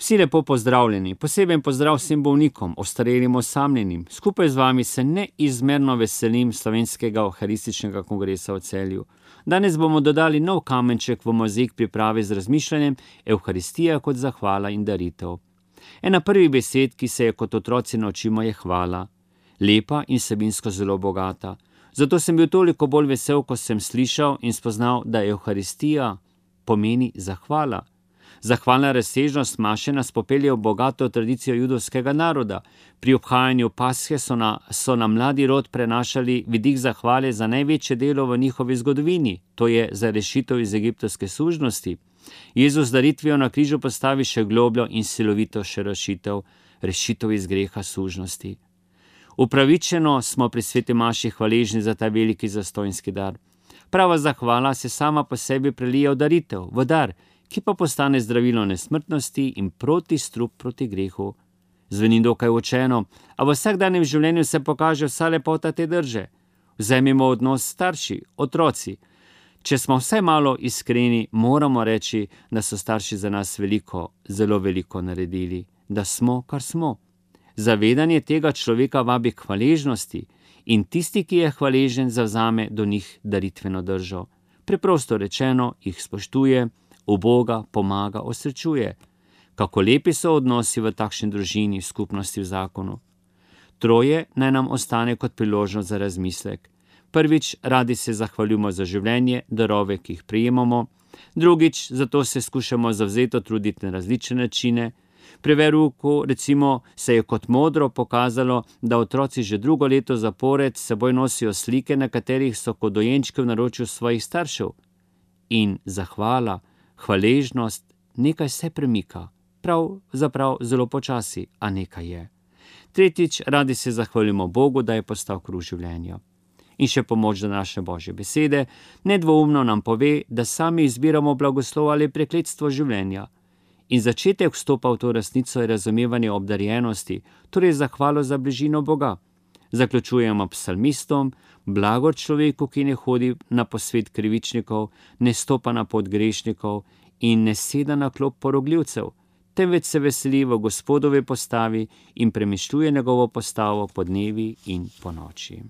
Vsi lepo pozdravljeni, poseben pozdrav vsem bolnikom, ostarelim, osamljenim. Skupaj z vami se neizmerno veselim Slovenskega euharističnega kongresa v Celju. Danes bomo dodali nov kamenček v mozaik priprave z razmišljanjem Evharistija kot zahvala in daritev. Ena prvih besed, ki se je kot otroci naučimo, je hvala. Lepa in vsebinsko zelo bogata. Zato sem bil toliko bolj vesel, ko sem slišal in spoznal, da Evharistija pomeni zahvala. Zahvalna razsežnost maše nas popelje v bogato tradicijo judovskega naroda. Pri obhajanju Pashe so na mladi rod prenašali vidik zahvale za največje delo v njihovi zgodovini, to je za rešitev iz egiptovske sužnosti. Jezus z daritvijo na križu postavi še globljo in silovito še rešitev iz greha sužnosti. Upravičeno smo pri sveti maši hvaležni za ta veliki zastonjski dar. Prava zahvala se sama po sebi prelije v daritev, v dar, ki pa postane zdravilo nesmrtnosti in protistrup proti grehu. Zveni dokaj učeno, a v vsakdanjem življenju se pokaže vsa lepota te drže. Vzemimo odnos starši, otroci. Če smo vsaj malo iskreni, moramo reči, da so starši za nas veliko, zelo veliko naredili, da smo, kar smo. Zavedanje tega človeka vabi k hvaležnosti in tisti, ki je hvaležen, zavzame do njih daritveno držo. Preprosto rečeno, jih spoštuje, uboga, pomaga, osrečuje. Kako lepi so odnosi v takšni družini, skupnosti v zakonu. Troje naj nam ostane kot priložnost za razmislek. Prvič, radi se zahvaljujemo za življenje, darove, ki jih prejemamo. Drugič, zato se skušamo zavzeto truditi na različne načine. Pri verouku, recimo, se je kot modro pokazalo, da otroci že drugo leto zapored s seboj nosijo slike, na katerih so kot dojenčki v naročju svojih staršev. In zahvala, hvaležnost, nekaj se premika. Pravzaprav zelo počasi, a nekaj je. Tretjič, radi se zahvaljujemo Bogu, da je postal kruh življenja. In še pomoč današnje Božje besede nedvoumno nam pove, da sami izbiramo blagoslov ali prekletstvo življenja. In začetek vstopa v to resnico je razumevanje obdarjenosti, torej zahvalo za bližino Boga. Zaključujemo psalmistom: blago človeku, ki ne hodi na posvet krivičnikov, ne stopa na pot grešnikov in ne seda na klop porogljivcev, temveč se veseli v Gospodovi postavi in premišljuje njegovo postavo po dnevi in po noči.